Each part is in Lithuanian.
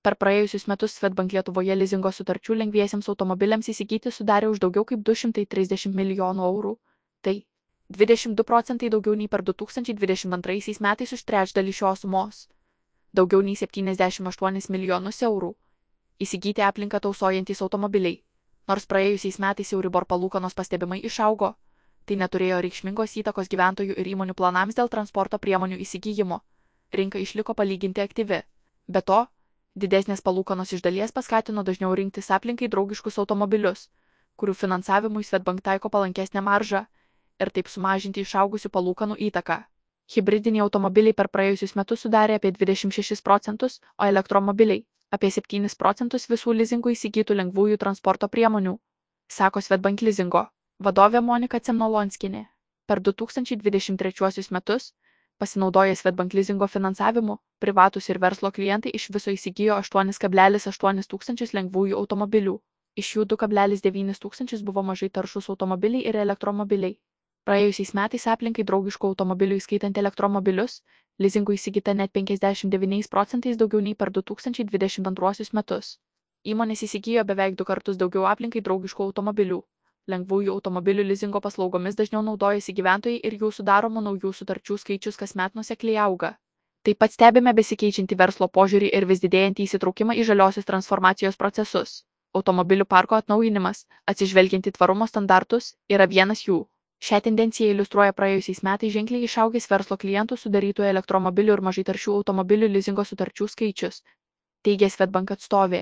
per praėjusius metus Swedbank Lietuvoje lizingo sutarčių lengviesiems automobiliams įsigyti sudarė už daugiau kaip 230 milijonų eurų. Tai 22% daugiau nei per 2022 metais už trečdalį šios sumos. Daugiau nei 78 milijonus eurų. Įsigyti aplinką tausojantys automobiliai. Nors praėjusiais metais Euribor palūkanos pastebimai išaugo, tai neturėjo reikšmingos įtakos gyventojų ir įmonių planams dėl transporto priemonių įsigijimo. Rinka išliko palyginti aktyvi. Be to, didesnės palūkanos iš dalies paskatino dažniau rinktis aplinkai draugiškus automobilius, kurių finansavimui Swedbank taiko palankesnę maržą ir taip sumažinti išaugusių palūkanų įtaką. Hibridiniai automobiliai per praėjusius metus sudarė apie 26%, o elektromobiliai apie 7% visų lizingų įsigytų lengvųjų transporto priemonių, sako Swedbank lizingo vadovė Monika Cemnolonskienė. Per 2023 metus, pasinaudoję Swedbank lizingo finansavimu, privatūs ir verslo klientai iš viso įsigijo 8,8 tūkstančius lengvųjų automobilių. Iš jų 2,9 tūkstančius buvo mažai taršūs automobiliai ir elektromobiliai. Praėjusiais metais aplinkai draugiškų automobilių įskaitant elektromobilius, lizingų įsigyta net 59% daugiau nei per 2022 metus. Įmonės įsigijo beveik 2 kartus daugiau aplinkai draugiškų automobilių. Lengvųjų automobilių lizingo paslaugomis dažniau naudojasi gyventojai ir jų sudaromų naujų sutarčių skaičius kasmet nuosekliai auga. Taip pat stebime besikeičiantį verslo požiūrį ir vis didėjantį įsitraukimą į žaliosios transformacijos procesus. Automobilių parko atnaujinimas, atsižvelgiant į tvarumo standartus, yra vienas jų. Šią tendenciją iliustruoja praėjusiais metais ženkliai išaugęs verslo klientų sudarytų elektromobilių ir mažai taršių automobilių lizingo sutarčių skaičius, teigė Swedbank atstovė.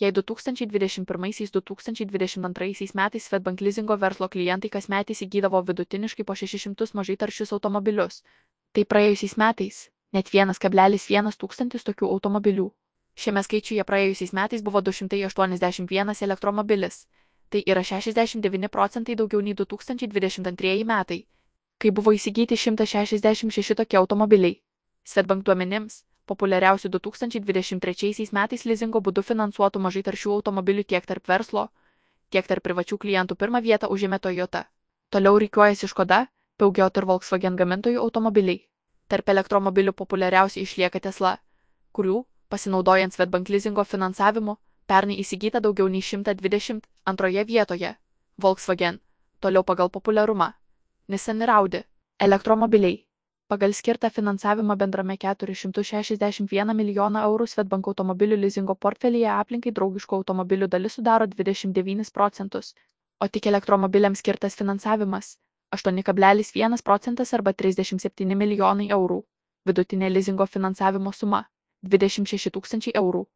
Jei 2021–2022 metais Swedbank lizingo verslo klientai kasmet įsigydavo vidutiniškai po 600 mažai taršius automobilius, tai praėjusiais metais net 1,1 tūkstantis tokių automobilių. Šiame skaičiuje praėjusiais metais buvo 281 elektromobilis. Tai yra 69% daugiau nei 2022 metai, kai buvo įsigyti 166 tokie automobiliai. Swedbank duomenims, populiariausių 2023 metais lizingo būdu finansuotų mažai taršių automobilių tiek tarp verslo, tiek tarp privačių klientų pirmą vietą užėmė Toyota. Toliau rikiuojasi Škoda, Peugeot ir Volkswagen gamintojų automobiliai. Tarp elektromobilių populiariausiai išlieka Tesla, kurių, pasinaudojant Swedbank lizingo finansavimu, pernai įsigyta daugiau nei 120, antroje vietoje Volkswagen, toliau pagal populiarumą Nissan ir Audi. Elektromobiliai. Pagal skirtą finansavimą bendrame 461 milijoną eurų Swedbank automobilių lizingo portfelyje aplinkai draugiškų automobilių dalis sudaro 29%, o tik elektromobiliams skirtas finansavimas 8,1% arba 37 milijonai eurų. Vidutinė lizingo finansavimo suma 26 tūkstančiai eurų.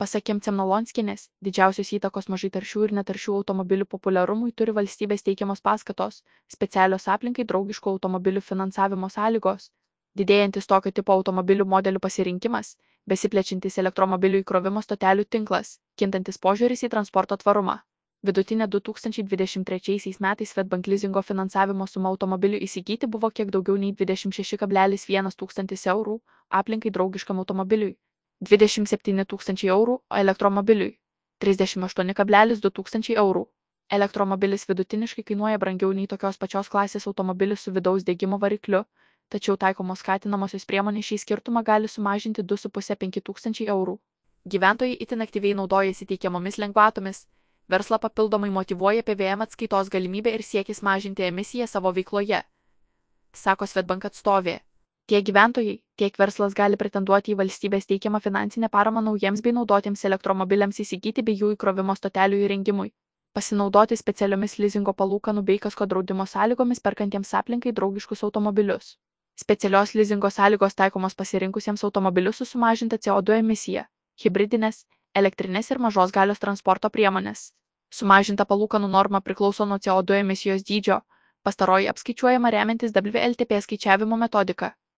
Pasak Cemnolonskienės, didžiausios įtakos mažai taršių ir netaršių automobilių populiarumui turi valstybės teikiamos paskatos, specialios aplinkai draugiškų automobilių finansavimo sąlygos, didėjantis tokio tipo automobilių modelių pasirinkimas, besiplečiantis elektromobilių įkrovimo stotelių tinklas, kintantis požiūris į transporto tvarumą. Vidutinė 2023 metais Swedbank lizingo finansavimo suma automobilių įsigyti buvo kiek daugiau nei 26,1 tūkstantis eurų, aplinkai draugiškam automobiliui 27 tūkstančiai eurų, o elektromobiliui 38,2 tūkstančiai eurų. Elektromobilis vidutiniškai kainuoja brangiau nei tokios pačios klasės automobilis su vidaus degimo varikliu, tačiau taikomos skatinamosios priemonės šį skirtumą gali sumažinti 2,5–5 tūkstančiai eurų. Gyventojai itin aktyviai naudojasi teikiamomis lengvatomis, verslą papildomai motyvuoja PVM atskaitos galimybė ir siekis mažinti emisiją savo veikloje, sako Swedbank atstovė. Tiek gyventojai, tiek verslas gali pretenduoti į valstybės teikiamą finansinę paramą naujiems bei naudotiems elektromobiliams įsigyti bei jų įkrovimo stotelių įrengimui, pasinaudoti specialiomis lizingo palūkanų bei kasko draudimo sąlygomis perkantiems aplinkai draugiškus automobilius. Specialios lizingo sąlygos taikomos pasirinkusiems automobilius su sumažinta CO2 emisija, hibridinės, elektrinės ir mažos galios transporto priemonės. Sumažinta palūkanų norma priklauso nuo CO2 emisijos dydžio, pastaroji apskaičiuojama remiantis WLTP skaičiavimo metodika.